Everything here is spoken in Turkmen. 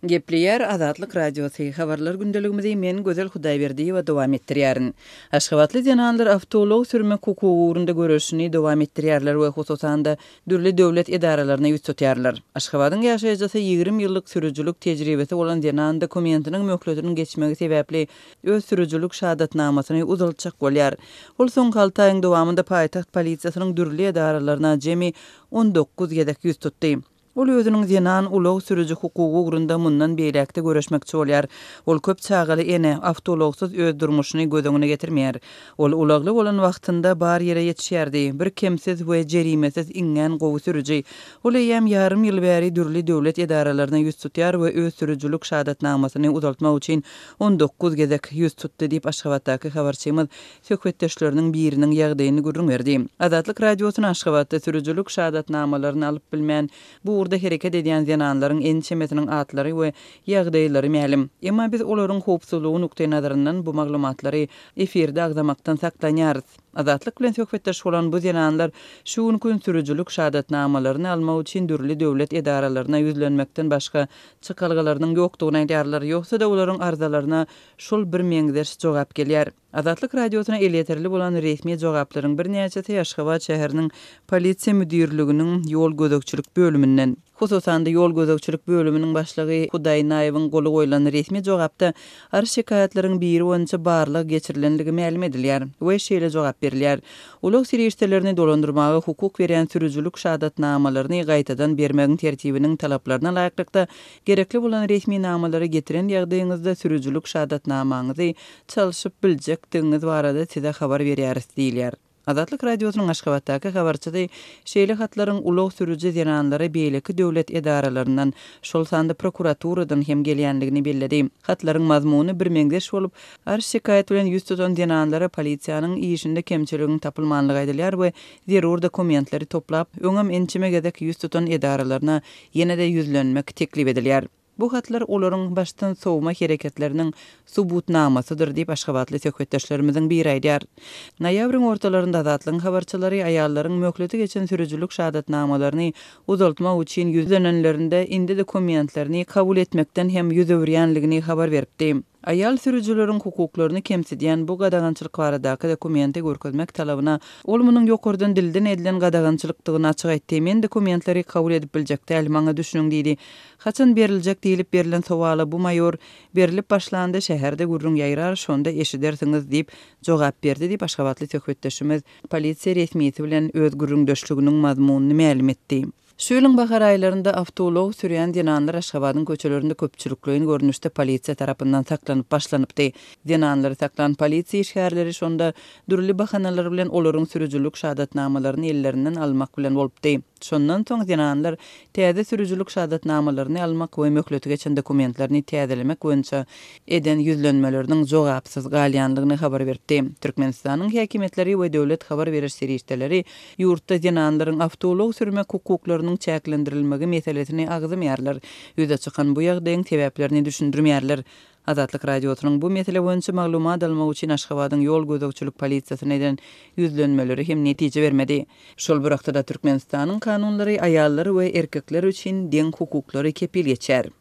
Gepleýär Azatlyk Radiosy, Habarlar gündeligimizi men Gözel Hudaýberdiýewa dowam etdirýärin. Aşgabatly zenanlar awtoulag sürmek hukugy ugrunda göreşini dowam etdirýärler we hususan-da dürli döwlet edaralaryna ýüz tutýarlar. Aşgabadyň ýaşaýjysy 20 ýyllyk sürüjilik tejribesi bolan zenan dokumentiniň möhletiniň geçmegi sebäpli öz sürüjilik şahadatnamasyny uzaltjak bolýar. Ol soňky alty aýyň dowamynda paýtagt polisiýasynyň dürli edaralaryna jemi 19 gezek ýüz tutdy. Ol özüniň zenan ulag sürüji hukugy ugrunda mundan beýläk-de göreşmekçi bolýar. Ol köp çagaly ene, awtoulagsyz öz durmuşyny göz öňüne getirmeýär. Ol ulagly bolan wagtynda bar ýere ýetişýärdi. Bir kemsiz we jerimesiz iňňän gowy sürüji. Ol eýýäm ýarym ýyl bäri dürli döwlet edaralaryna ýüz tutýar we öz sürüjilik şahadatnamasyny uzaltmak üçin 19 gezek ýüz tutdy diýip, Aşgabatdaky habarçymyz söhbetdeşleriniň biriniň ýagdaýyny gürrüň berdi. Azatlyk Radiosyna Aşgabatda sürüjilik şahadatnamalaryny alyp bilmän, bu ugurda hereket edýän zenanlaryň ençemesiniň atlary we ýagdaýlary mälim. Emma biz olaryň howpsuzlygy nukdaýnazaryndan bu maglumatlary efirde agzamakdan saklanýarys. Azatlyk bilen söhbetdeş bolan bu zenanlar şu günki gün sürüjilik şahadatnamalaryny almak üçin dürli döwlet edaralaryna ýüzlenmekden başga çykalgalarynyň ýokdugyny aýdýarlar, ýogsa-da olaryň arzalaryna şol birmeňzeş jogap gelýär. Azatlyk Radiosyna elýeterli bolan resmi jogaplaryň birnäçesi Aşgabat şäheriniň Polisiýa müdirliginiň ýol gözegçilik bölüminden. Hususan-da, ýol gözegçilik bölüminiň başlygy Hudaýnaýewiň goly goýlan resmi jogapda arz-şikaýatlaryň biri boýunça barlag geçirilenligi mälim edilýär we şeýle jogap berilýär, Ulag serişdelerini dolandyrmaga hukuk berýän sürüjilik şahadatnamalaryny gaýtadan bermegiň tertibiniň talaplaryna laýyklykda, Gerekli bolan resminamalary getiren ýagdaýyňyzda sürüjilik şahadatnamaňyzy çalşyp biljekdigiňiz barada size habar berýäris diýilýär. Azatlyk Radiosynyň Aşgabatdaky habarçysy şeýle hatlaryň ulag sürüji zenanlara beýleki döwlet edaralaryndan, şol sanda prokuraturadan hem gelýändigini belledi. Hatlaryň mazmuny birmeňzeş bolup, arz-şikaýat bilen ýüz tutan zenanlara polisiýanyň işinde kemçiligiň tapylmanlygy aýdylýar we zerur dokumentleri toplap, öňem ençeme gezek ýüz tutan edaralaryna ýene-de ýüzlenmek teklip edilýär. Bu hatlar olaryň başdan sowma hereketleriniň subutnamasydyr diýip, aşgabatly söhbetdeşlerimiziň biri aýdýar. Noýabryň ortalarynda Azatlygyň habarçylary aýallaryň möhleti geçen sürüjilik şahadatnamalaryny uzaltmak üçin ýüzlenenlerinde indi dokumentlerini kabul etmekden hem ýüz öwürýänligini habar beripdi. Aýal sürüjileriň hukuklaryny kemsidýän bu gadagançylyk baradaky dokumenti görkezmek talabyna ol munuň ýokardan dilden edilen gadagançylykdygyny açyk aýtdy. Men dokumentleri kabul edip biljek däl, maňa düşüniň diýdi. Haçan beriljek diýlip berlen sowala bu maýor, Berlip başlanda şäherde gürrüň ýaýrar, şonda eşidersiňiz diýip jogap berdi diýip, aşgabatly söhbetdeşimiz polisiýa resmisi bilen öz gürrüňdeşliginiň mazmunyny mälim etdi. Şu ýylyň bahar aýlarynda awtoulag sürýän zenanlar Aşgabadyň köçelerinde köpçülikleýin görnüşde polisiýa tarapyndan saklanyp başlanypdy. Zenanlary saklan polisiýa işgärleri şonda dürli bahanalar bilen olaryň sürüjilik şahadatnamalaryny ellerinden almak bilen bolupdy. Şondan soň zenanlar täze sürüjilik şahadatnamalaryny almak we möhleti geçen dokumentlerini täzelemek boýunça eden ýüzlenmeleriniň jogapsyz galýandygyny habar beripdi. Türkmenistanyň häkimiýetleri we döwlet habar beriş serişdeleri Ýurtda zenanlaryň awtoulag sürmek hukuklarynyň çäklendirilmegi meselesini agzamaýarlar, ýüze çykan bu ýagdaýyň sebäplerini düşündirmeýärler. Azatlyk Radiosynyň bu mesele boýunça maglumat almak üçin Aşgabadyň ýol gözegçilik polisiýasyna eden ýüzlenmeleri hem netije bermedi. Şol bir wagtda-da Türkmenistanyň kanunlary aýallar we erkekler üçin deň hukuklary kepil geçýär.